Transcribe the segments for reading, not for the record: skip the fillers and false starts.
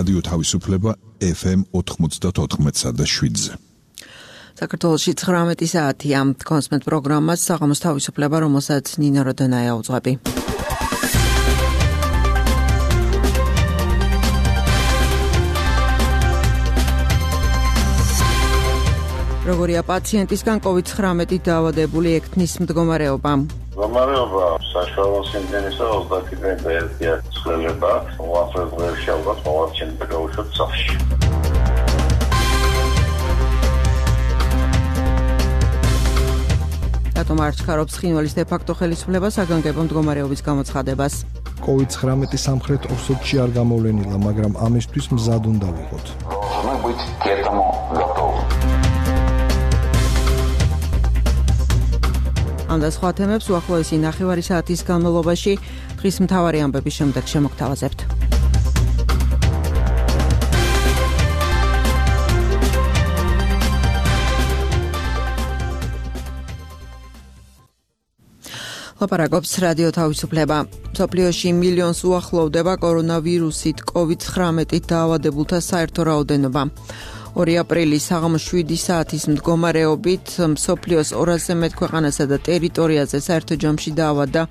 რადიო თავისუფლება FM 94.7-ზე. საქართველოში 19 საათია. კონსმენტ პროგრამას საღამოს თავისუფლება, რომელსაც ნინო როდონაია უძღვები. როგორია პაციენტისგან COVID-19 დაავადებული ექთნის მდგომარეობა? მდგომარეობა საშუალო სიმდენისა 21 ცვლილება, უახლოეს დღეებში ალბათ მოვარჩენდა გაუშვათ სახლში. რატომ არ ჩქარობს ხინვალის დე-ფაქტო ხელისუფლება საგანგებო მდგომარეობის გამოცხადებას? COVID-19 სამხრეთ ოსეთში არ გამოვლენილა, მაგრამ ამისთვის მზად უნდა ვიყოთ. ამ და სხვა თემებს უახლოესი ნახევარი საათის განმავლობაში დღის მთავარი ამბების შემდეგ შემოგთავაზებთ. ლაპარაკობს რადიო თავისუფლება. მსოფლიოში მილიონს უახლოვდება კორონავირუსით COVID-19 დაავადებულთა საერთო რაოდენობა. 2 აპრილის საღამოს 7 საათის მდგომარეობით მსოფლიოს 200-ზე მეტ ქვეყანასა და ტერიტორიაზე საერთო ჯამში დაავადდა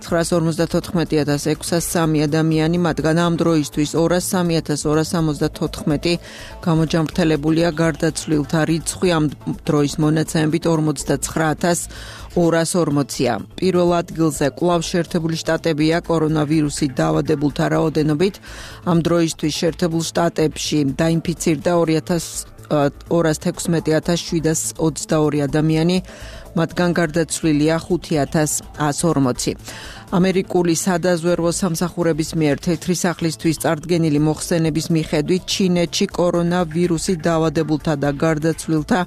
954,603 ადამიანი, მათგან ამ დროისთვის 203,274 გამოჯამრთელებულია, გარდაცვლილთა რიცხვი ამ დროის მონაცემებით 49,240-ია. პირველ ადგილზე კვლავ შეერთებული შტატებია კორონავირუსით დაავადებულთა რაოდენობით. ამ დროისთვის შეერთებულ შტატებში დაინფიცირდა 216,722 ადამიანი, მათგან გარდაცვლილია 5,140. ამერიკული სადაზვერვო სამსახურების მიერ თეთრი სახლისთვის წარდგენილი მოხსენების მიხედვით ჩინეთში კორონავირუსით დაავადებულთა და გარდაცვლილთა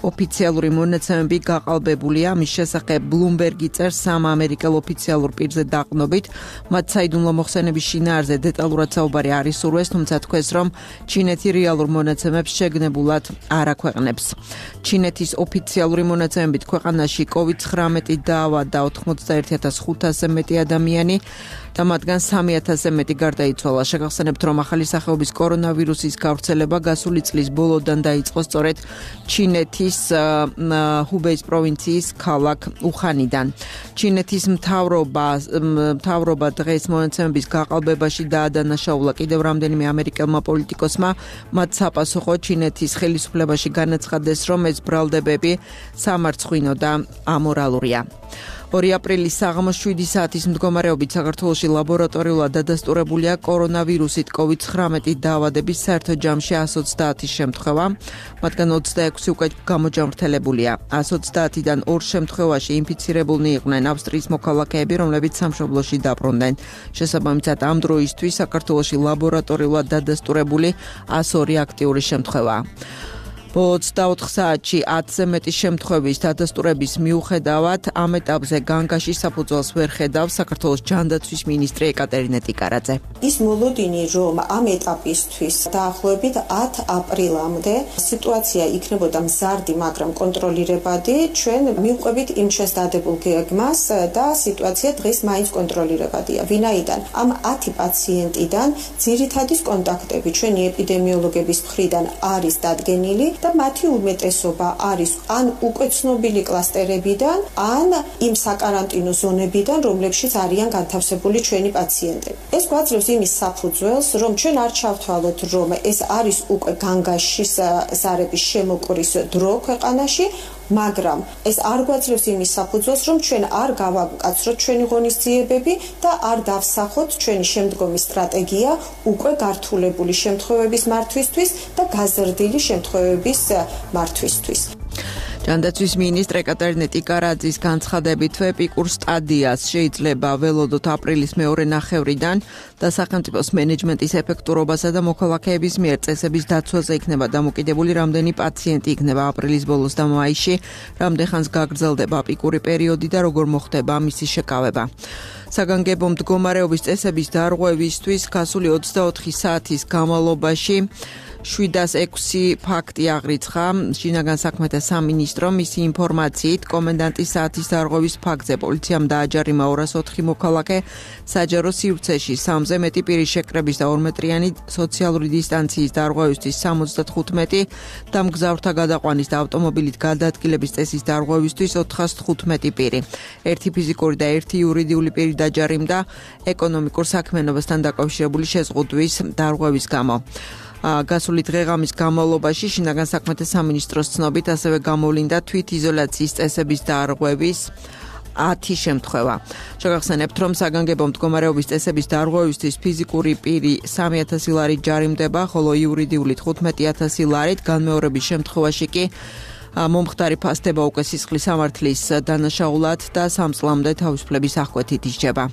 ოფიციალური მონაცემები გაყალბებულია. ამის შესახებ ბლუმბერგი წერს სამ ამერიკელ ოფიციალურ პირზე დაყნობით. მათ საიდუმლო მოხსენების შინაარზე დეტალურად საუბარი არ ისურვეს, თუმცა თქვეს, რომ ჩინეთი რეალურ მონაცემებს შეგნებულად არ აქვეყნებს. ჩინეთის ოფიციალური მონაცემებით ქვეყანაში COVID-19 დაავადდა 81,500-ზე მეტი ადამიანი და მათგან 3,000-ზე მეტი გარდაიცვალა. შეგახსენებთ, რომ ახალი სახეობის კორონავირუსის გავრცელება გასული წლის ბოლოდან დაიწყო სწორედ ჩინეთის ჰუბეის პროვინციის ქალაქ უხანიდან. ჩინეთის მთავრობა დღეს მონაცემების გაყალბებაში დაადანაშაულა კიდევ რამდენიმე ამერიკელმა პოლიტიკოსმა. მათ საპასუხოდ ჩინეთის ხელისუფლებაში განაცხადეს, რომ ეს ბრალდებები სამარცხვინო და ამორალურია. 2 აპრილის საღამოს 7 საათის მდგომარეობით საქართველოში ლაბორატორიულად დადასტურებულია კორონავირუსით COVID-19 დაავადების საერთო ჯამში 130 შემთხვევა, მათგან 26 უკვე გამოჯამრთელებულია. 130-დან 2 შემთხვევაში ინფიცირებულნი იყვნენ ავსტრიის მოქალაქეები, რომლებიც სამშობლოში დაბრუნდნენ. შესაბამისად, ამ დროისთვის საქართველოში ლაბორატორიულად დადასტურებული 102 აქტიური შემთხვევაა. 24 საათში 10-ზე მეტი შემთხვევის დადასტურების მიუხედავად ამ ეტაპზე განგაში საფუძველს ვერ ხედავს საქართველოს ჯანდაცვის მინისტრი ეკატერინე ტიკარაძე. ის მოლოდინი, რომ ამ ეტაპისთვის დაახლოებით 10 აპრილამდე სიტუაცია იქნებოდა მზარდი, მაგრამ კონტროლირებადი, ჩვენ მივყვებით იმ ჩვენს დადებულ გეგმას და სიტუაცია დღეს მაინც კონტროლირებადია. ვინაიდან ამ 10 პაციენტიდან ძირითადი კონტაქტები ჩვენი ეპიდემიოლოგების მხრიდან არის დადგენილი და მათი უმეტესობა არის ან უკვე ცნობილი კლასტერებიდან, ან იმ საკარანტინო ზონებიდან, რომლებშიც არიან განთავსებული ჩვენი პაციენტები. ეს გვაძლევს იმის საფუძველს, რომ ჩვენ არ ჩავთვალოთ, რომ ეს არის უკვე განგაში ზარების შემოკვრის დრო ქვეყანაში, მაგრამ ეს არ გვაძლევს იმის საფუძველს, რომ ჩვენ არ გავაკაცროთ ჩვენი ღონისძიებები და არ დავსახოთ ჩვენი შემდგომი სტრატეგია უკვე გართულებული შემთხვევების მართვისთვის და გაზრდილი შემთხვევების მართვისთვის. ჯანდაცვის მინისტრ ეკატერინე ტიკარაძის განცხადებით, ეპიკურ სტადიას შეიძლება ველოდოთ აპრილის მეორე ნახევრიდან და სახელმწიფოს მენეჯმენტის ეფექტურობასა და მოქალაქეების მიერ წესების დაცვაზე იქნება დამოკიდებული, რამდენი პაციენტი იქნება აპრილის ბოლოს და მაისში, რამდენხანს გაგრძელდება ეპიკური პერიოდი და როგორ მოხდება მისი შეკავება. საგანგებო მდგომარეობის წესების დარღვევისთვის გასული 24 საათის განმავლობაში 706 ფაქტი აღრიცხა შინაგან საქმეთა სამინისტრომ. მისი ინფორმაციით კომენდანტის საათის დარღვევის ფაქტზე პოლიციამ დააჯარიმა 204 მოქალაქე, საჯარო სივრცეში 3-ზე მეტი პირის შეკრების და 2 მეტრიანი სოციალური დისტანციის დარღვევისთვის 75 და მგზავრთა გადაყვანის და ავტომობილით გადაადგილების წესის დარღვევისთვის 415 პირი. ერთი ფიზიკური და ერთი იურიდიული პირი დაჯარიმდა ეკონომიკურ საქმიანობასთან დაკავშირებული შეზღუდვის დარღვევის გამო. გასული დღეღამის განმავლობაში შინაგან საქმეთა სამინისტროს ცნობით ასევე გამოვლინდა თვითიზოლაციის წესების დარღვევის 10 შემთხვევა. შეგახსენებთ, რომ საგანგებო მდგომარეობის წესების დარღვევისთვის ფიზიკური პირი 3000 ლარით ჯარიმდება, ხოლო იურიდიული 15000 ლარით, განმეორების შემთხვევაში კი მომხდარი ფასდება უკვე სისხლის სამართლის დანაშაულად და 3 წლამდე თავისუფლების აღკვეთით ისჯება.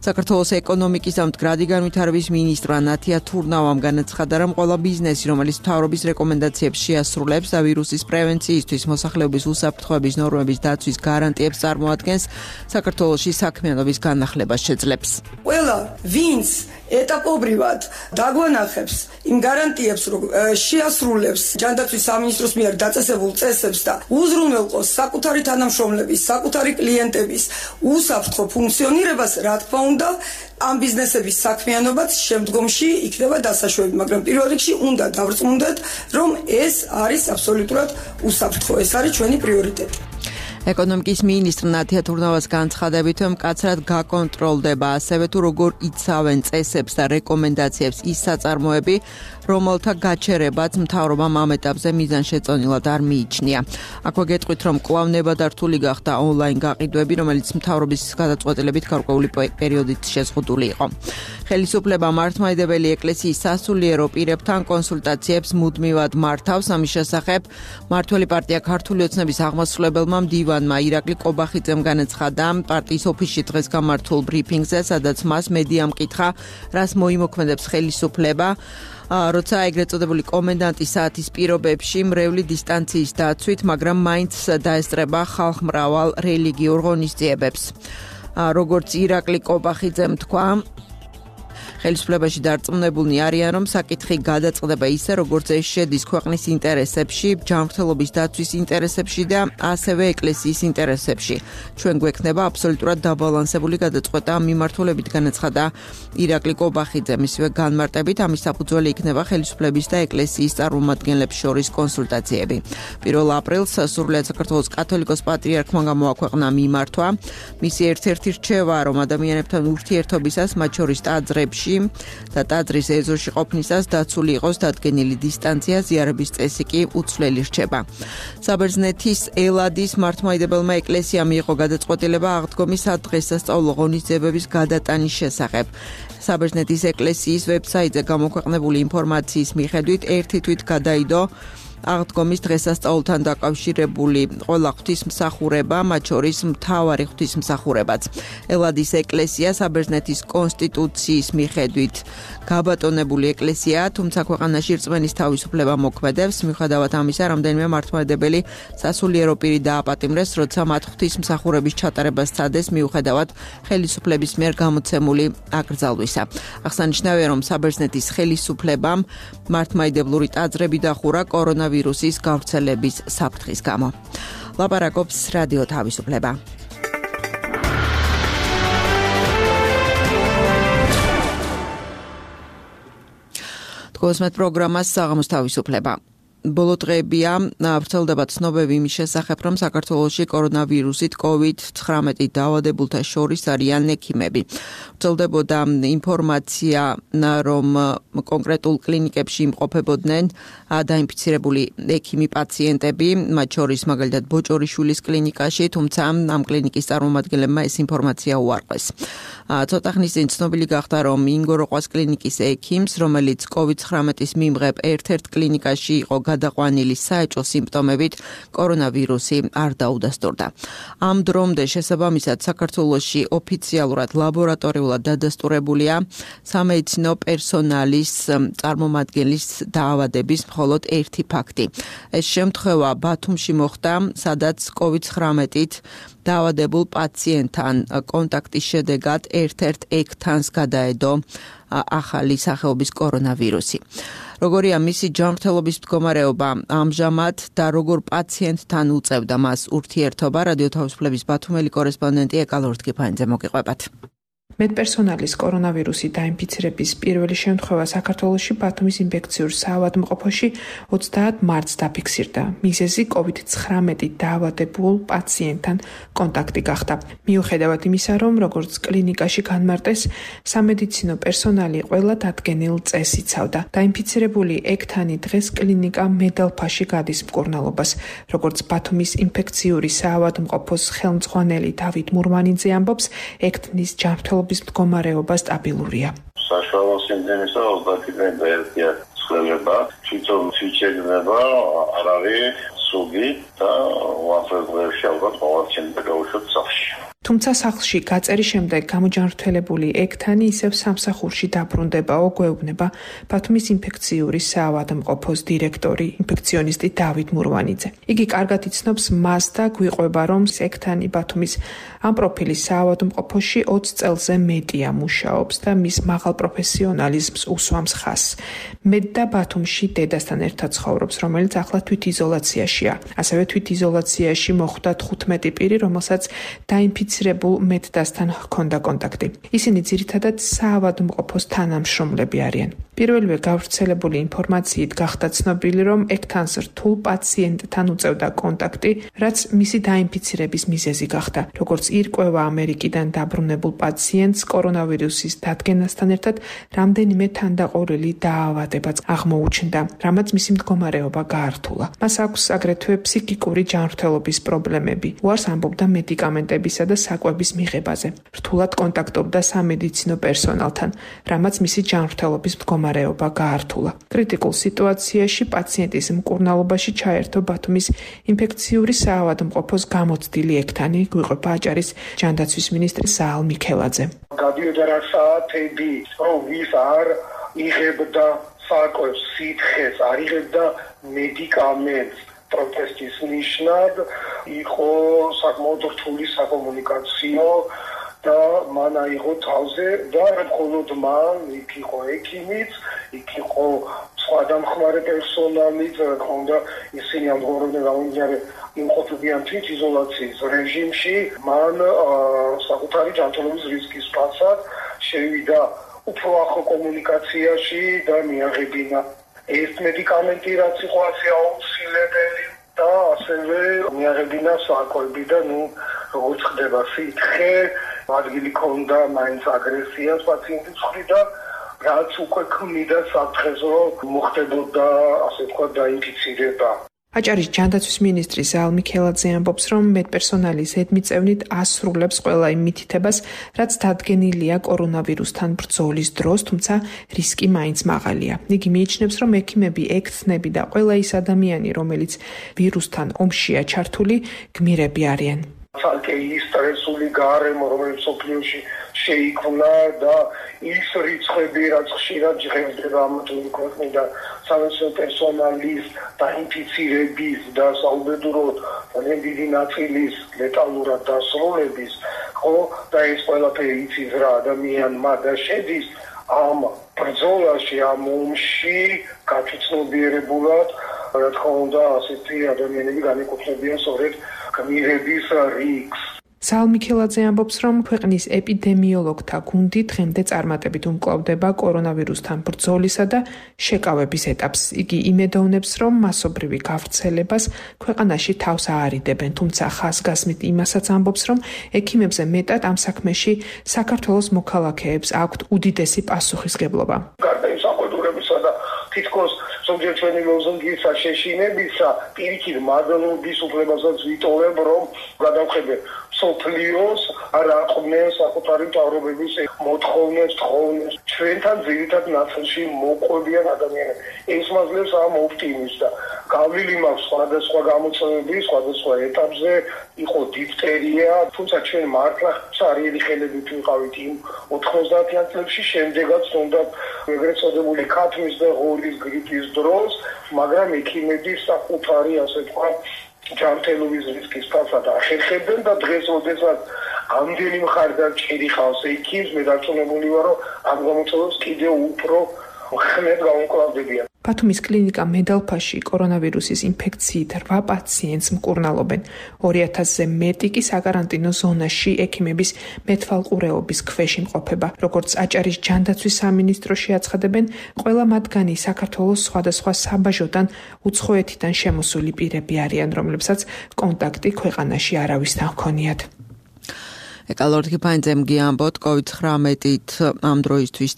საქართველოს ეკონომიკის და მდგრადი განვითარების მინისტრმა ნათია თურნავამ განაცხადა, რომ ყველა ბიზნესი, რომელიც მთავრობის რეკომენდაციებს შეასრულებს და ვირუსის პრევენციისთვის მოსახლეობის უსაფრთხოების ნორმების დაცვის გარანტიებს წარმოადგენს, საქართველოში საქმიანობის განახლებას შეძლებს. ყველა ვინც ეტაპობრივად დაგვანახებს იმ გარანტიებს, რომ შეასრულებს ჯანდაცვის სამინისტროს მიერ დაწესებულ წესებს და უზრუნველყოს საკუთარი თანამშრომლების, საკუთარი კლიენტების უსაფრთხო ფუნქციონირებას, რა თქმა უნდა, ამ ბიზნესების საქმიანობაც შემდგომში იქნება დასაშვები, მაგრამ პირველ რიგში უნდა დავრწმუნდეთ, რომ ეს არის აბსოლუტურად უსაფრთხო, ეს არის ჩვენი პრიორიტეტი. ეკონომიკის მინისტრ ნათია თურნავას განცხადებით, რომ მკაცრად გაკონტროლდება ასევე თუ როგორ იცავენ წესებს და რეკომენდაციებს ის საწარმოები, რომელთა გაჩერებაც მთავრობამ ამ ეტაპზე მიზანშეწონილად არ მიიჩნია. აქვე გეტყვით, რომ კვლავ ნებადართული გახდა ონლაინ გაყიდვები, რომელიც მთავრობის გადაწყვეტილებით გარკვეული პერიოდით შეზღუდული იყო. ხელისუფლება მართლმადიდებელი ეკლესიის სასულიერო პირებთან კონსულტაციებს მუდმივად მართავს. ამის შესახებ მმართველი პარტია ქართული ოცნების აღმასრულებელმა მდივანმა ირაკლი კობახიძემ განაცხადა პარტიის ოფისში დღეს გამართულ ბრიფინგზე, სადაც მას მედიამ კითხა, რას მოიმოქმედებს ხელისუფლება, როცა ეგრეთ წოდებული კომენდანტის საათის პირობებში მრევლი დისტანციის დაცვით, მაგრამ მაინც დაესწრება ხალხმრავალ რელიგიურ ღონისძიებებს. როგორც ირაკლი კობახიძემ თქვა, ხელისუფლებაში დარწმუნებულნი არიან, რომ საკითხი გადაწყდება ისე, როგორც ეს შედის ქვეყნის ინტერესებში, ჯანმრთელობის დაცვის ინტერესებში და ასევე ეკლესიის ინტერესებში. ჩვენ გვექნება აბსოლუტურად დაბალანსებული გადაწყვეტა ამ მიმართულებით, განაცხადა ირაკლი კობახიძე. მისივე განმარტებით, ამის საფუძველი იქნება ხელისუფლების და ეკლესიის წარმომადგენლებს შორის კონსულტაციები. 1 აპრილს სრულიად საქართველოს კათოლიკოს პატრიარქმა გამოაქვეყნა მიმართვა. მისი ერთ-ერთი რჩევა, რომ ადამიანებთან ურთიერთობისას, მათ შორის ტაძრებში და ტაძრის ეზოში ყოფნისას დაცული იყოს დადგენილი დისტანცია, ზიარების წესი კი უცვლელი რჩება. საბერძნეთის ელადის მართლმადიდებელმა ეკლესიამ მიიღო გადაწყვეტილება აღდგომის სადღესასწაულო ღონისძიებების გადატანის შესახებ. საბერძნეთის ეკლესიის ვებსაიტზე გამოქვეყნებული ინფორმაციის მიხედვით ერთი თვით გადაიდო აღდგომის დღესასწაულთან დაკავშირებული ყველა ღვთისმსახურება, მათ შორის მთავარი ღვთისმსახურებაც. ელადის ეკლესია საბერძნეთის კონსტიტუციის მიხედვით გაბატონებული ეკლესიაა, თუმცა ქვეყანაში რწმენის თავისუფლება მოქმედებს. მიუხედავად ამისა, რამდენიმე მართლმადიდებელი სასულიერო პირი დააპატიმრეს, როცა მათ ღვთისმსახურების ჩატარებას სცადეს, მიუხედავად ხელისუფლების მიერ გამოცემული აკრძალვისა. აღსანიშნავია, რომ საბერძნეთის ხელისუფლებამ მართლმადიდებლური ტაძრები დახურა კორონავირუსის გავრცელების საფრთხის გამო. ლაპარაკობს რადიო თავისუფლება. თქოსმეთ პროგრამას საღამოს თავისუფლება. ბოლო დღეებია ვრცელდება ცნობები იმის შესახებ, რომ საქართველოში კორონავირუსით COVID-19 დაავადებულთა შორის არიან ექიმები. ვრცელდებოდა ინფორმაცია, რომ კონკრეტულ კლინიკებში იმყოფებოდნენ დაინფიცირებული ექიმი პაციენტები, მათ შორის მაგალითად ბოჭორიშვილის კლინიკაში, თუმცა ამ კლინიკის წარმომადგენლებმა ეს ინფორმაცია უარყვეს. ცოტა ხნის წინ ცნობილი გახდა, რომ ინგოროყვას კლინიკის ექიმს, რომელიც COVID-19-ის მიმღებ ერთ-ერთ კლინიკაში იყო გადაყვანილი საეჭვო სიმპტომებით, კორონავირუსი არ დაუდასტურდა. ამ დრომდე შესაბამისად საქართველოში ოფიციალურად ლაბორატორიულად დადასტურებულია სამედიცინო პერსონალის წარმომადგენლის დაავადების მხოლოდ ერთი ფაქტი. ეს შემთხვევა ბათუმში მოხდა, სადაც COVID-19-ით დაავადებულ პაციენტთან კონტაქტის შედეგად ერთ-ერთ ექთანს გადაედო ახალი სახეობის კორონავირუსი. როგორია მისი ჯანმრთელობის მდგომარეობა ამჟამად და როგორ პაციენტთან უწევდა მას ურთიერთობა, რადიო თავისუფლების ბათუმელი კორესპონდენტი ეკალორთკიფანიძე მოგიყვებათ. მედპერსონალის კორონავირუსი დაინფიცირების პირველი შემთხვევა საქართველოში ბათუმის ინფექციურ საავადმყოფოში 30 მარტს დაფიქსირდა. მიზეზი COVID-19 დაავადებულ პაციენტთან კონტაქტი გახდა. მიუხედავად იმისა, რომ როგორც კლინიკაში განმარტეს, სამედიცინო პერსონალი ყველა დადგენილ წესს იცავდა. დაინფიცირებული ექთანი დღეს კლინიკა მედალფაში გადის მკურნალობას. როგორც ბათუმის ინფექციური საავადმყოფოს ხელმძღვანელი დავით მურმანიძე ამბობს, ექთნის ჯანმრთელობის მდგომარეობა სტაბილურია. საშუალო სიმდენისა 30-დან დაერქია ცვლილება, თვითონ ფიჩერდება, არ არის სუგი და უახლოესი ალბათ მოვარჩენდა გაუშვათ სახლში. თუმცა სახლში გაწერის შემდეგ გამოჯანმრთელებული ექთანი ისევ სამსახურში დაბრუნდებაო, გვეუბნება ბათუმის ინფექციური საავადმყოფოს დირექტორი, ინფექციონისტი დავით მურვანიძე. იგი კარგად იცნობს მას და გვიყვება, რომ ექთანი ბათუმის ამ პროფილის საავადმყოფოში 20 წელზე მეტია მუშაობს და მის მაღალ პროფესიონალიზმს უსვამს ხაზს. მეტ და ბათუმში დედასთან ერთად ცხოვრობს, რომელიც ახლა თვითიზოლაციაშია. ასევე თვითიზოლაციაში მოხვდა 15 პირი, რომელსაც დაინფიცირებულ მეტდასთან ჰქონდა კონტაქტი. ისინი ძირითადად საავადმყოფოს თანამშრომლები არიან. პირველივე გავრცელებული ინფორმაციით გახდა ცნობილი, რომ ექთანს რთულ პაციენტთან უწევდა კონტაქტი, რაც მისი დაინფიცირების მიზეზი გახდა. როგორც ირკვევა ამერიკიდან დაბრუნებულ პაციენტს კორონავირუსის დადგენასთან ერთად რამდენიმე თანდაყოლილი დაავადებაც აღმოუჩნდა, რამაც მისი მდგომარეობა გაართულა. მას აქვს აგრეთვე ფსიქიკური ჯანმრთელობის პრობლემები. უარს ამბობდა მედიკამენტებისა და საკვების მიღებაზე. რთულად კონტაქტობდა სამედიცინო პერსონალთან, რამაც მისი ჯანმრთელობის მდგომარეობა გაართულა. კრიტიკულ სიტუაციაში პაციენტის მკურნალობაში ჩაერთო ბათუმის ინფექციური საავადმყოფოს გამოცდილი ექთანი, გვიყვება აჭარის ჯანდაცვის მინისტრი საალ მიქელაძე. გადიოდა რა საათები, რომ ვის არ იღებდა საკვებს, სითხეს, არ იღებდა მედიკამენტს. პროტესტის ნიშნად იყო საკმაოდ რთული საკომუნიკაციო და მან აიღო თავზე და მხოლოდ მან, იქ იყო ექიმიც, იქ იყო სხვა დამხმარე პერსონალიც, რა თქმა უნდა, ისინი ამგვარებდნენ გამომდინარე იმყოფებიან თვითიზოლაციის რეჟიმში, მან საკუთარი ჯანმრთელობის რისკის პასად შევიდა უფრო ახლო კომუნიკაციაში და მიაღებინა ეს მედიკამენტი, რაც იყო ასე აუცილებელი და ასევე მიაღებინა საკვები და როგორც ხდება სითხე, ადგილი ქონდა მაინც აგრესიას პაციენტის მხრიდან, რაც უკვე ქმნიდა საფრთხეს, რომ მოხდებოდა ასე თქვა დაინფიცირება. აჭარის ჯანდაცვის მინისტრი საალ მიქელაძე ამბობს, რომ მედპერსონალი ზედმიწევნით ასრულებს ყველა იმ მითითებას, რაც დადგენილია კორონავირუსთან ბრძოლის დროს, თუმცა რისკი მაინც მაღალია. იგი მიიჩნევს, რომ ექიმები, ექთნები და ყველა ის ადამიანი, რომელიც ვირუსთან ომშია ჩართული, გმირები არიან. ცალკე ის სტრესული გარემო, რომელიც სოფლიოში შეიქმნა და ის რიცხვები, რაც ხშირად ჟღერდება ამათული ქვეყნიდან სამედიცინო პერსონალის დაინფიცირების და საუბედუროდ ძალიან დიდი ნაწილის ლეტალურად დასრულების, ხო, და ეს ყველაფერი იცის რა ადამიანმა და შედის ამ ბრძოლაში, ამ ომში გაწუცნობიერებულად, რა თქმა უნდა, ასეთი ადამიანები განეკუთვნებიან სწორედ გმირების რიგს. საალ მიქელაძე ამბობს, რომ ქვეყნის ეპიდემიოლოგთა გუნდი დღემდე წარმატებით უმკლავდება კორონავირუსთან ბრძოლისა და შეკავების ეტაპს. იგი იმედოვნებს, რომ მასობრივი გავრცელებას ქვეყანაში თავს აარიდებენ, თუმცა ხაზგასმით იმასაც ამბობს, რომ ექიმებზე მეტად ამ საქმეში საქართველოს მოქალაქეებს აქვთ უდიდესი პასუხისგებლობა. თითქოს ზოგიერთ ჩვენი ლოზუნგისა შეშინებისა პირიქით მადლობის უფლებასაც ვიტოვებ, რომ გადავხედე სოფლიოს არა ყმენ საკუთარი მთავრობების მოთხოვნებს, თხოვნებს. ჩვენთან ძირითად ნაწილში მოყვებიან ადამიანები. ეს მაძლევს ამ ოპტიმიზმს და გავლილი მაქვს სხვადასხვა გამოწვევების, სხვადასხვა ეტაპზე, იყო დიფტერია, თუმცა ჩვენ მართლა ცარიელი ხელებით ვიყავით იმ 90-იან წლებში, შემდეგაც თუნდა ეგრეთ წოდებული ქათმის და ღორის გრიპის დროს, მაგრამ ექიმები საკუთარი, ასე თქვა, ჯანმრთელობის რისკის ფასად ახერხებდნენ და დღეს როდესაც ამდენი მხარდამჭერი ხავს ექიმს, მე დარწმუნებული ვარ, რომ ამ გამოწვევებს კიდევ უფრო ხმედ გაუმკლავდებიან. ბათუმის კლინიკა მედალფაში კორონავირუსის ინფექციით 8 პაციენტს მკურნალობენ. 2000-ზე მეტი კი საკარანტინო ზონაში ექიმების მეთვალყურეობის ქვეშ იმყოფება. როგორც აჭარის ჯანდაცვის სამინისტროში აცხადებენ, ყველა მათგანი საქართველოს სხვადასხვა საბაჟოდან უცხოეთიდან შემოსული პირები არიან, რომლებსაც კონტაქტი ქვეყანაში არავისთან ჰქონიათ. ეკალორდ ფაინძემ გიამბოთ COVID-19-ით ამ დროისთვის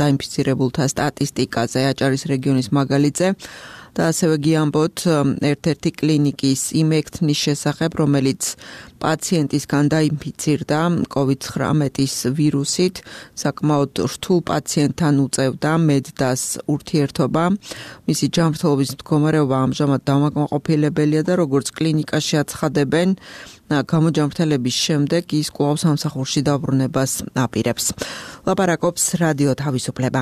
დაინფიცირებულთა სტატისტიკაზე აჭარის რეგიონის მაგალითზე და ასევე გიამბოთ ერთ-ერთი კლინიკის იმ ექთნის შესახებ, რომელიც პაციენტისგან დაინფიცირდა COVID-19-ის ვირუსით, საკმაოდ რთულ პაციენტთან უწევდა მედდას ურთიერთობა. მისი ჯანმრთელობის მდგომარეობა ამჟამად დამაკმაყოფილებელია და როგორც კლინიკაში აცხადებენ, გამოჯანმრთელების შემდეგ ის კვლავ სამსახურში დაბრუნებას აპირებს. ლაპარაკობს რადიო თავისუფლება.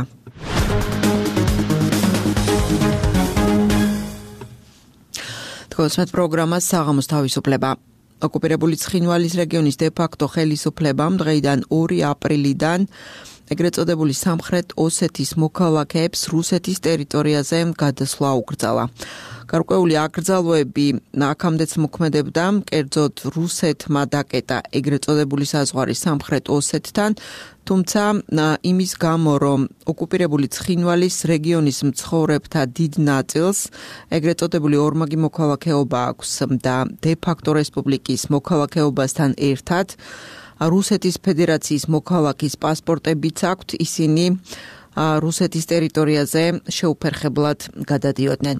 თქოსმეთ პროგრამას საღამოს თავისუფლება. ოკუპირებული ცხინვალის რეგიონის დე-ფაქტო ხელისუფლებამ დღეიდან 2 აპრილიდან ეგრეთ წოდებული სამხრეთ ოსეთის მოქალაქეებს რუსეთის ტერიტორიაზე გადასვლა უკრძალა. გარკვეული აკრძალვები აქამდეც მოქმედებდა, კერძოდ რუსეთმა დაკეტა ეგრეთ წოდებული საზღვარი სამხრეთ ოსეთთან, თუმცა იმის გამო, რომ ოკუპირებული ცხინვალის რეგიონის მცხოვრებთა დიდ ნაწილს ეგრეთ წოდებული ორმაგი მოქალაქეობა აქვს და დე-ფაქტო რესპუბლიკის მოქალაქეობასთან ერთად რუსეთის ფედერაციის მოქალაქის პასპორტებიც აქვთ, ისინი რუსეთის ტერიტორიაზე შეუფერხებლად გადადიოდნენ.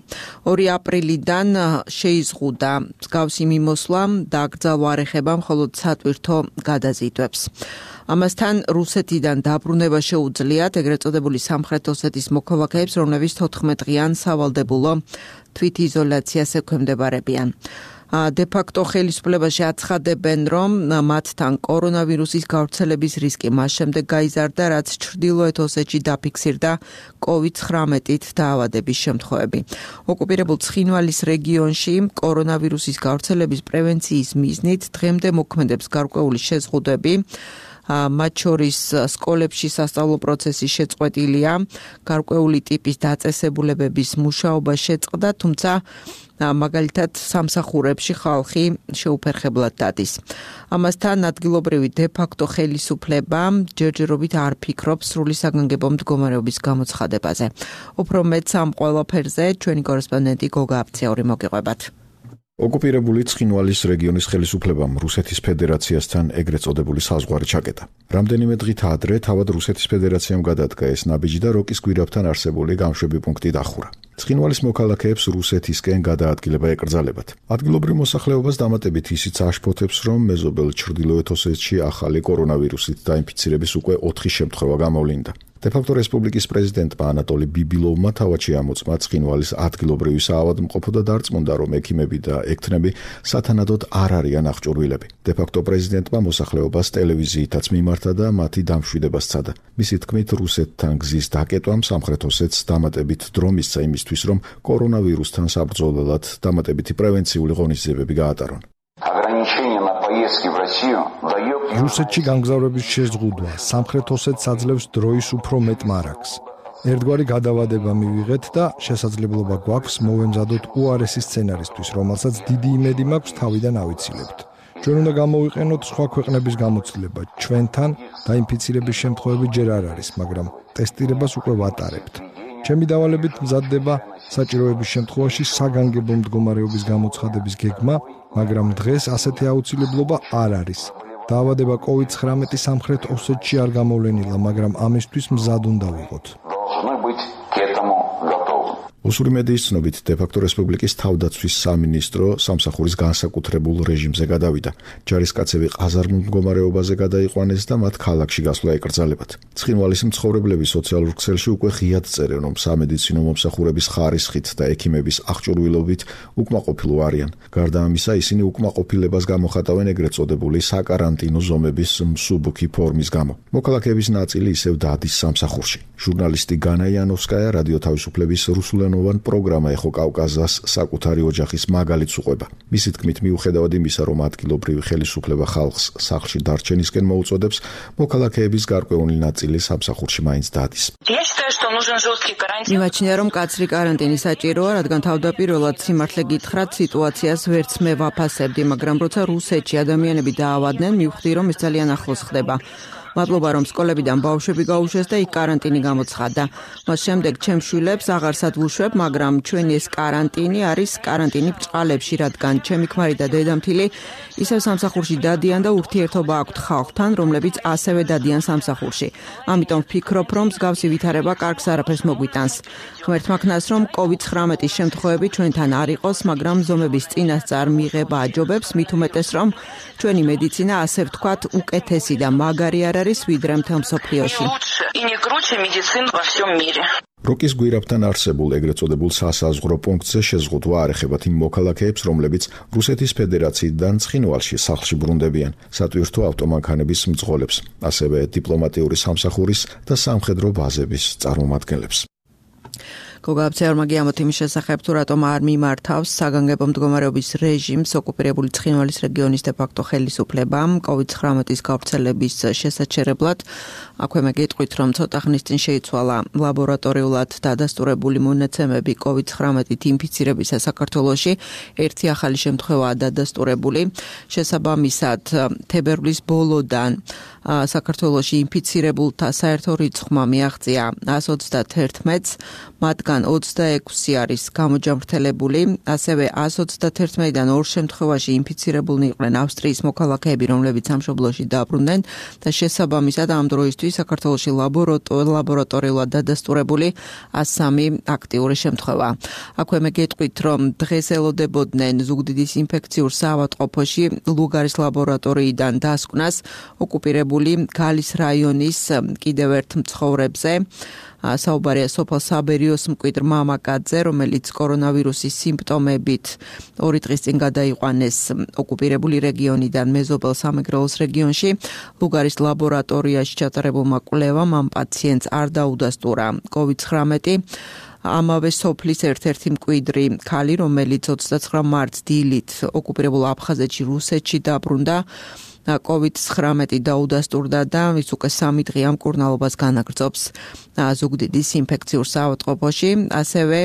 2 აპრილიდან შეიზღუდა მსგავსი მიმოსვლა და აკრძალვა არ ეხება მხოლოდ სატვირთო გადაზიდვებს. ამასთან რუსეთიდან დაბრუნება შეუძლიათ ეგრეთ წოდებული სამხრეთ ოსეთის მოქალაქეებს, რომლებიც 14 დღიან სავალდებულო თვითიზოლაციას ექვემდებარებიან. დე-ფაქტო ხელისუფლებაში აცხადებენ, რომ მათთან კორონავირუსის გავრცელების რისკი მას შემდეგ გაიზარდა, რაც ჩრდილოეთ ოსეთში დაფიქსირდა COVID-19-ით დაავადების შემთხვევები. ოკუპირებულ ცხინვალის რეგიონში კორონავირუსის გავრცელების პრევენციის მიზნით დღემდე მოქმედებს გარკვეული შეზღუდვები. მათ შორის სკოლებში სასწავლო პროცესი შეწყვეტილია, გარკვეული ტიპის დაწესებულებების მუშაობა შეწყდა, თუმცა მაგალითად სამსახურებში ხალხი შეუფერხებლად დადის. ამასთან ადგილობრივი დე-ფაქტო ხელისუფლება ჯერჯერობით არ ფიქრობს სრული საგანგებო მდგომარეობის გამოცხადებაზე. უფრო მეტს ამ ყველაფერზე ჩვენი კორესპონდენტი გოგა აფციური მოგიყვებათ. ოკუპირებული ცხინვალის რეგიონის ხელისუფლებამ რუსეთის ფედერაციასთან ეგრეთ წოდებული საზღვარი ჩაკეტა. რამდენიმე დღით ადრე თავად რუსეთის ფედერაციამ გადადგა ეს ნაბიჯი და როკის გვირაბთან არსებული გამშვები პუნქტი დახურა. ცხინვალის მოქალაქეებს რუსეთისკენ გადაადგილება ეკრძალებათ. ადგილობრივ მოსახლეობას დამატებით ისიც აშფოთებს, რომ მეზობელ ჩრდილოეთ ოსეთში ახალი კორონავირუსით დაინფიცირების უკვე 4 შემთხვევა გამოვლინდა. დე-ფაქტო რესპუბლიკის პრეზიდენტმა ანატოლი ბიბილოვმა თავად შეამოწმა ცხინვალის ადგილობრივი საავადმყოფო და დარწმუნდა, რომ ექიმები და ექთნები სათანადოდ არ არიან აღჭურვილები. დე-ფაქტო პრეზიდენტმა მოსახლეობას ტელევიზიითაც მიმართა და მათი დამშვიდება სცადა. მისი თქმით, რუსეთთან გზის დაკეტვამ სამხრეთ ოსეთს დამატებით დრო მისცა იმისთვის, რომ კორონავირუსთან საბრძოლველად დამატებითი პრევენციული ღონისძიებები გაატარონ. რუსეთში გამგზავრების შეზღუდვა სამხრეთ ოსეთს აძლევს დროის უფრო მეტ მარაგს. ერთგვარი გადავადება მივიღეთ და შესაძლებლობა გვაქვს მოვემზადოთ უარესი სცენარისთვის, რომელსაც დიდი იმედი მაქვს თავიდან ავიცილებთ. ჩვენ უნდა გამოვიყენოთ სხვა ქვეყნების გამოცდილება. ჩვენთან დაინფიცირების შემთხვევები ჯერ არ არის, მაგრამ ტესტირებას უკვე ვატარებთ. ჩემი დავალებით მზადდება საჭიროების შემთხვევაში საგანგებო მდგომარეობის გამოცხადების გეგმა, მაგრამ დღეს ასეთი აუცილებლობა არ არის. დაავადება COVID-19 სამხრეთ ოსეთში არ გამოვლენილა, მაგრამ ამისთვის მზად უნდა ვიყოთ. უსური მედიის ცნობით, დე-ფაქტო რესპუბლიკის თავდაცვის სამინისტრო სამსახურის განსაკუთრებულ რეჟიმზე გადავიდა. ჯარისკაცები ყაზარმულ მდგომარეობაზე გადაიყვანეს და მათ ქალაქში გასვლა ეკრძალებათ. ცხინვალის მცხოვრებლები სოციალურ ქსელში უკვე ღიად წერენ, რომ სამედიცინო მომსახურების ხარისხით და ექიმების აღჭურვილობით უკმაყოფილო არიან. გარდა ამისა, ისინი უკმაყოფილებას გამოხატავენ ეგრეთ წოდებული საკარანტინო ზომების მსუბუქი ფორმის გამო. მოქალაქეების ნაწილი ისევ დადის სამსახურში. ჟურნალისტი განა იანოვსკაია რადიო თავისუფლების რუსულ საერთმილიონოვან პროგრამა ეხო კავკაზას საკუთარი ოჯახის მაგალითს უყვება. მისი თქმით, მიუხედავად იმისა, რომ ადგილობრივი ხელისუფლება ხალხს სახლში დარჩენისკენ მოუწოდებს, მოქალაქეების გარკვეული ნაწილი სამსახურში მაინც დადის. მიმაჩნია, რომ კაცრი კარანტინი საჭიროა, რადგან თავდაპირველად სიმართლე გითხრათ, სიტუაციას ვერც მე ვაფასებდი, მაგრამ როცა რუსეთში ადამიანები დაავადდნენ, მივხვდი, რომ ეს ძალიან ახლოს ხდება. მადლობა, რომ სკოლებიდან ბავშვები გაუშვეს და იქ კარანტინი გამოცხადდა. მას შემდეგ ჩემს შვილებს აღარსად ვუშვებ, მაგრამ ჩვენი ეს კარანტინი არის კარანტინი ბრჭყალებში, რადგან ჩემი ქმარი და დედამთილი ისევ სამსახურში დადიან და ურთიერთობა აქვთ ხალხთან, რომლებიც ასევე დადიან სამსახურში. ამიტომ ვფიქრობ, რომ მსგავსი ვითარება კარგს არაფერს მოგვიტანს. ღმერთმა ქნას, რომ COVID-19 შემთხვევები ჩვენთან არ იყოს, მაგრამ ზომების წინასწარ მიღება აჯობებს, მით უმეტეს, რომ ჩვენი მედიცინა, ასე ვთქვათ, უკეთესი და მაგარი არ არის ვიდრე მთელ მსოფლიოში. როკის გვირაბთან არსებულ ეგრეთ წოდებულ სასაზღვრო პუნქტზე შეზღუდვა არ ეხებათ იმ მოქალაქეებს, რომლებიც რუსეთის ფედერაციიდან ცხინვალში სახლში ბრუნდებიან, სატვირთო ავტომანქანების მძღოლებს, ასევე დიპლომატიური სამსახურის და სამხედრო ბაზების წარმომადგენლებს. გოგაბცეორმა გიამოთ იმის შესახებ, თუ რატომ არ მიმართავს საგანგებო მდგომარეობის რეჟიმს ოკუპირებული ცხინვალის რეგიონის დე-ფაქტო ხელისუფლებამ COVID-19 გავრცელების შესაჩერებლად. აქვე მე გეტყვით, რომ ცოტა ხნის წინ შეიცვალა ლაბორატორიულად დადასტურებული მონაცემები COVID-19 ინფიცირებისა საქართველოში. ერთი ახალი შემთხვევაა დადასტურებული. შესაბამისად, თებერვლის ბოლოდან საქართველოში ინფიცირებულთა საერთო რიცხვმა მიაღწია 131-ს, მათგან 26 არის გამოჯამრთელებული, ასევე 131-დან 2 შემთხვევაში ინფიცირებულნი იყვნენ ავსტრიის მოქალაქეები, რომლებიც სამშობლოში დაბრუნდნენ და შესაბამისად ამ დროისთვის საქართველოში ლაბორატორიულად დადასტურებული 103 აქტიური შემთხვევა. აქვე მე გეტყვით, რომ დღეს ელოდებოდნენ ზუგდიდის ინფექციურ საავადმყოფოში ლუგარის ლაბორატორიიდან დასკვნას ოკუპირებული გალის რაიონის კიდევ ერთ მცხოვრებზე. საუბარია სოფელ საბერიოს მკვიდრ მამაკაცზე, რომელიც კორონავირუსის სიმპტომებით 2 დღის წინ გადაიყვანეს ოკუპირებული რეგიონიდან მეზობელ სამეგრელოს რეგიონში. ლუგარის ლაბორატორიაში ჩატარებულმა კვლევამ ამ პაციენტს არ დაუდასტურა COVID-19. ამავე სოფლის ერთ-ერთი მკვიდრი ქალი, რომელიც 29 მარტს დილით ოკუპირებულ აფხაზეთში რუსეთში დაბრუნდა, COVID-19 დაუდასტურდა და ის უკვე 3 დღე ამ მკურნალობას განაგრძობს ზუგდიდის ინფექციურ საავადმყოფოში. ასევე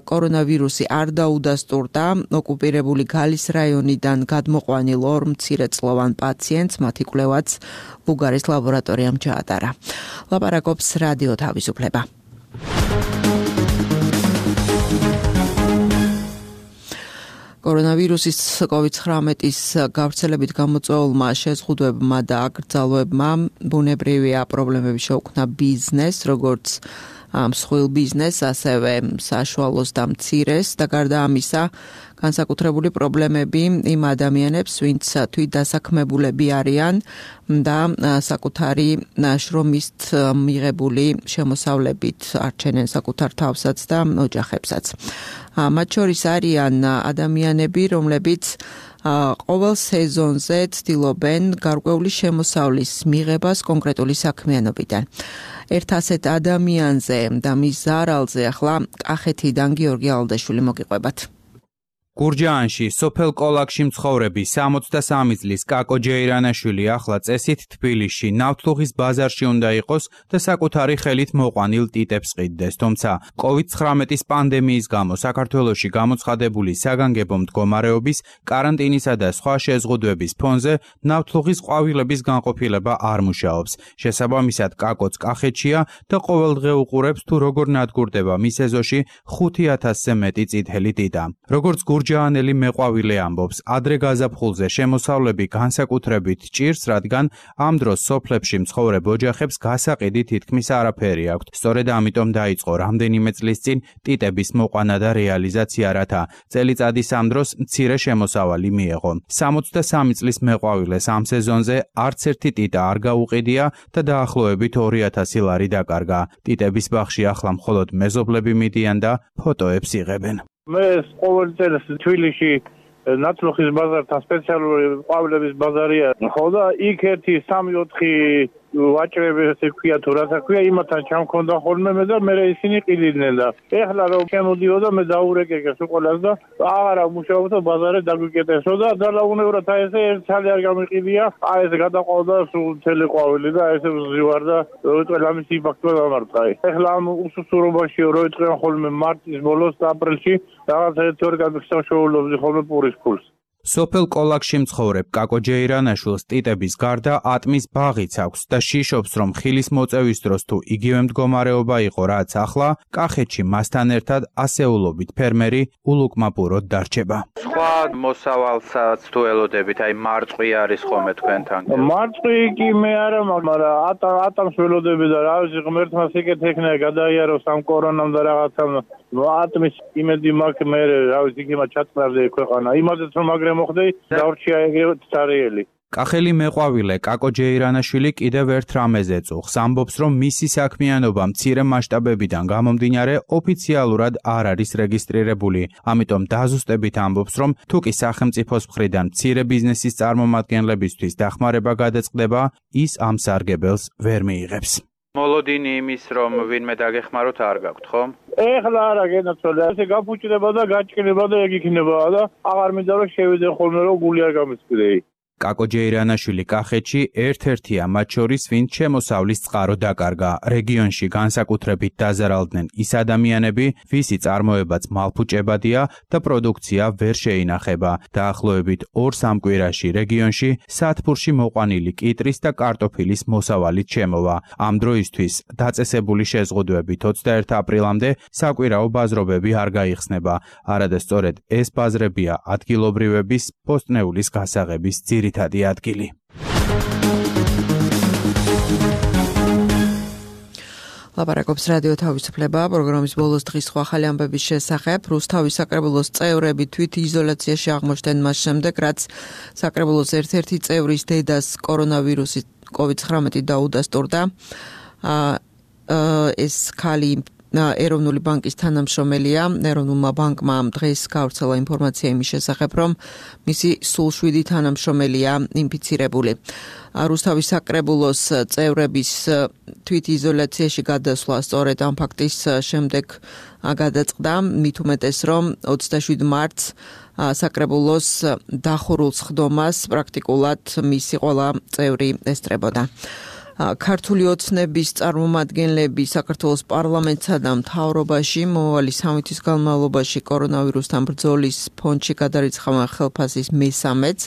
კორონავირუსი არ დაუდასტურდა ოკუპირებული გალის რაიონიდან გადმოყვანილ 2 მცირეწლოვან პაციენტს, მათი კვლევაც ლუგარის ლაბორატორიამ ჩაატარა. ლაპარაკობს რადიო თავისუფლება. კორონავირუსის COVID-19 გავრცელებით გამოწვეულმა შეზღუდვებმა და აკრძალვებმა ბუნებრივია პრობლემები შეუქმნა ბიზნესს, როგორც მსხვილ ბიზნესს, ასევე საშუალოს და მცირეს და გარდა ამისა განსაკუთრებული პრობლემები იმ ადამიანებს, ვინც თვით დასაქმებულები არიან და საკუთარი შრომით მიღებული შემოსავლებით არჩენენ საკუთარ თავსაც და ოჯახებსაც. მათ შორის არიან ადამიანები, რომლებიც ყოველ სეზონზე ცდილობენ გარკვეული შემოსავლის მიღებას კონკრეტული საქმიანობიდან. ერთ ასეთ ადამიანზე და მის ზარალზე ახლა კახეთიდან გიორგი ალდაშვილი მოგიყვებათ. გურჯაანში, სოფელ კოლაკში მცხოვრები 63 წლის კაკო ჯეირანაშვილი ახლა წესით თბილისში ნავთლუღის ბაზარში უნდა იყოს და საკუთარი ხელით მოყვანილ ტიტებს ყიდდეს, თუმცა COVID-19 პანდემიის გამო საქართველოში გამოცხადებული საგანგებო მდგომარეობის, კარანტინისა და სხვა შეზღუდვების ფონზე ნავთლუღის ყვავილების განყოფილება არ მუშაობს. შესაბამისად, კაკოც კახეთშია და ყოველდღე უყურებს თუ როგორ ნადგურდება მის ეზოში 5000-ზე მეტი წითელი ტიტა. როგორც ჯანელი მეყვავილე ამბობს, ადრე გაზაფხულზე შემოსავლები განსაკუთრებით ჭირს, რადგან ამ დროს სოფლებში მცხოვრებ ოჯახებს გასაყიდი თითქმის არაფერი აქვთ. სწორედ ამიტომ დაიწყო რამდენიმე წლის წინ ტიტების მოყვანა და რეალიზაცია, რათა წელიწადის ამ დროს მცირე შემოსავალი მიეღო. 63 წლის მეყვავილეს ამ სეზონზე არც ერთი ტიტა არ გაუყიდია და დაახლოებით 2000 ლარი დაკარგა. ტიტების ბაღში ახლა მხოლოდ მეზობლები მიდიან და ფოტოებს იღებენ. მე ყოველ წელს თბილისში ნავთლუღის ბაზართან სპეციალური ყვავილების ბაზარია. ხო და იქ 1-3-4 ვაჭრები ესე ქვია თუ რაცა ქვია, იმათთან ჩამქონდა ხოლმე მე და მე ისინი ყიდნენ და ეხლა რომ შემოდიოდა მე დაურეკეკეს უყოლას და აღარა მუშაობდა ბაზარზე დაგვიკეტესო და დალაუნევრად აი ესე ერთ ცალი არ გამიყიდია, აი ესე გადაყავდა სულ მთელი ყვავილი და ესე ვზივარ და როიტყვი ამის იმპაქტი დამარტყა. ეხლა ამ უსუსურობაში როიტყვი ხოლმე მარტის ბოლოს და აპრილში რაღაცა ერთ ორი გადმოხსოვს ხოლმე პურის ფულს. სოფელ კოლაქში მცხოვრებ კაკო ჯეირანაშვილს ტიტების გარდა ატმის ბაღიც აქვს და შიშობს, რომ ხილის მოწევის დროს თუ იგივე მდგომარეობა იყო, რაც ახლა, კახეთში მასთან ერთად ასეულობით ფერმერი ულუკმაპუროდ დარჩება. სხვა მოსავალსაც თუ ელოდებით, აი მარწყვი არის ხოლმე თქვენთან. მარწყვი კი მე არა, მაგრამ ატამს ველოდები და რა ვიცი, ღმერთმა სიკეთ ეკნა გადაიაროს ამ კორონამ და რაღაცამ ატმის იმედი მაქვს მე რა ვიცი, იქნება ჩატყნარდე ქვეყანა. იმაზეც რომ მაგრამ მოხდე დავრჩია ეგრევე ცარიელი. კახელი მეყვავილე კაკო ჯეირანაშვილი კიდევ ერთ რამეზე წუხს, ამბობს, რომ მისი საქმიანობა მცირე მასშტაბებიდან გამომდინარე ოფიციალურად არ არის რეგისტრირებული. ამიტომ დაზუსტებით ამბობს, რომ თუ კი სახელმწიფოს მხრიდან მცირე ბიზნესის წარმომადგენლებისთვის დახმარება გადაწყდება, ის ამ სარგებელს ვერ მიიღებს. მოლოდინი იმის, რომ ვინმე დაგეხმაროთ არ გაქვთ, ხო? ეხლა არა გენაცვალე, ესე გაფუჭდება და გაჭკნება და ეგ იქნება და აღარ მინდა რომ შევიდე ხოლმე რომ გული არ გამისკდეი. კაკო ჯეირანაშვილი კახეთში ერთ-ერთია მათ შორის, ვინც შემოსავლის წყარო დაკარგა. რეგიონში განსაკუთრებით დაზარალდნენ ის ადამიანები, ვისი წარმოებაც მალფუჭებადია და პროდუქცია ვერ შეინახება. დაახლოებით 2-3 კვირაში რეგიონში სათბურში მოყვანილი კიტრის და კარტოფილის მოსავალით შემოვა. ამ დროისთვის დაწესებული შეზღუდვებით 21 აპრილამდე საკვირაო ბაზრობები არ გაიხსნება. არადა სწორედ ეს ბაზრებია ადგილობრივების პოსტნეულის გასაღების ძირითადი ადგილი. ლაპარაკობს რადიო თავისუფლება, პროგრამის ბოლოს დღის სხვა ახალი ამბების შესახებ. რუსთავის საკრებულოს წევრები თვითიზოლაციაში აღმოჩნდნენ მას შემდეგ, რაც საკრებულოს ერთ-ერთი წევრის დედას კორონავირუსი COVID-19 დაუდასტურდა. ეს ქალი ეროვნული ბანკის თანამშრომელია. ეროვნულმა ბანკმა დღეს გავრცელა ინფორმაცია იმის შესახებ, რომ მისი სულ 7 თანამშრომელია ინფიცირებული. რუსთავის საკრებულოს წევრების თვითიზოლაციაში გადასვლა სწორედ ამ ფაქტის შემდეგ გადაწყდა, მით უმეტეს, რომ 27 მარტს საკრებულოს დახურულს ხდომას პრაქტიკულად მისი ყველა წევრი ესწრებოდა. ქართული ოცნების წარმომადგენლები საქართველოს პარლამენტსა და მთავრობაში მომავალი 3 თვის განმავლობაში კორონავირუსთან ბრძოლის ფონდში გადარიცხავენ ხელფასის მესამეც.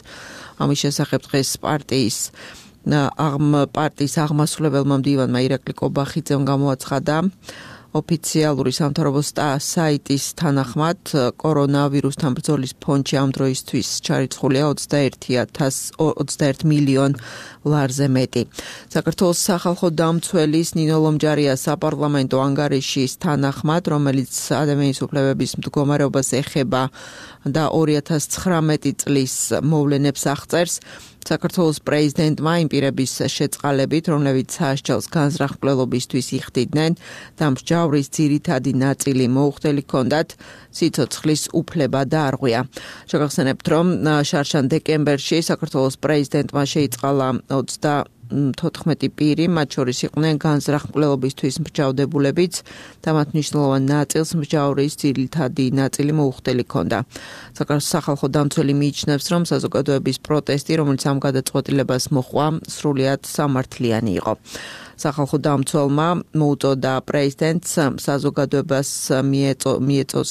ამის შესახებ დღეს პარტიის აღმასრულებელმა მდივანმა ირაკლი კობახიძემ გამოაცხადა. ოფიციალური სამთავრობო საიტის თანახმად კორონავირუსთან ბრძოლის ფონდში ამ დროისთვის ჩარიცხულია 21 მილიონ ლარზე მეტი. საქართველოს სახალხო დამცველის ნინო ლომჯარიას საპარლამენტო ანგარიშის თანახმად, რომელიც ადამიანის უფლებების მდგომარეობას ეხება და 2019 წლის მოვლენებს აღწერს, საქართველოს პრეზიდენტმა იმ პირების შეწყალებით, რომლებიც საასჯელს განზრახმკვლელობისთვის იხდიდნენ და მსჯავრის ძირითადი ნაწილი მოუხდელი ჰქონდათ, სიცოცხლის უფლება დაარღვია. შეგახსენებთ, რომ შარშან დეკემბერში საქართველოს პრეზიდენტმა შეიწყალა 24 პირი, მათ შორის იყვნენ განზრახმკვლელობისთვის მსჯავრდებულებიც და მათ მნიშვნელოვან ნაწილს მსჯავრის ძირითადი ნაწილი მოუხდელი ჰქონდა. საქართველოს სახალხო დამცველი მიიჩნევს, რომ საზოგადოების პროტესტი, რომელიც ამ გადაწყვეტილებას მოჰყვა, სრულიად სამართლიანი იყო. სახალხო დამცველმა მოუწოდა პრეზიდენტს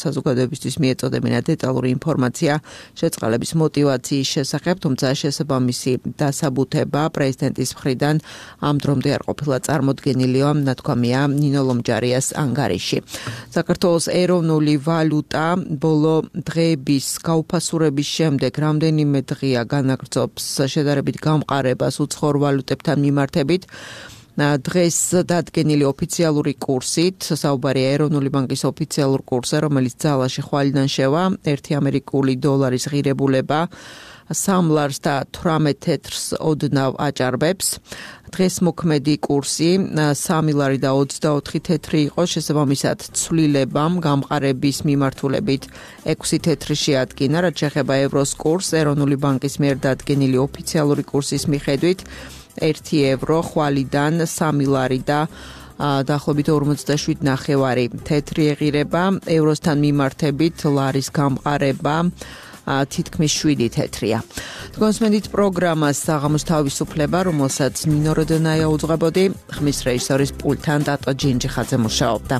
საზოგადოებისთვის მიეწოდებინა დეტალური ინფორმაცია შეწყალების მოტივაციის შესახებ, თუმცა შესაბამისი დასაბუთება პრეზიდენტის მხრიდან ამ დრომდე არ ყოფილა წარმოდგენილიო, ნათქვამია ნინო ლომჯარიას ანგარიში. საქართველოს ეროვნული ვალუტა ბოლო დღეების გაუფასურების შემდეგ რამდენიმე დღეა განაგრძობს შედარებით გამყარებას უცხოურ ვალუტებთან მიმართებით. დღეს დადგენილი ოფიციალური კურსით, საუბარია ეროვნული ბანკის ოფიციალურ კურსზე, რომელიც ძალაში ხვალიდან შევა, 1 ამერიკული დოლარის ღირებულება 3 ლარს და 18 თეთრს ოდნავ აჭარბებს. დღეს მოქმედი კურსი 3 ლარი და 24 თეთრი იყო, შესაბამისად ცვლილებამ გამყარების მიმართულებით 6 თეთრი შეადგინა, რაც შეეხება ევროს კურსს, ეროვნული ბანკის მიერ დადგენილი ოფიციალური კურსის მიხედვით 1 ევრო, ხვალიდან 3 ლარი და დაახლოებით 47.9 თეთრი ეღირება, ევროსთან მიმართებით ლარის გამყარება თითქმის 7 თეთრია. გონსმენდით პროგრამას საღამოს თავისუფლება, რომელსაც ნინო როდონაია უძღვებოდი, ხმის რეჟისორის პულტთან დატო ჯინჯიხაძე მუშაობდა.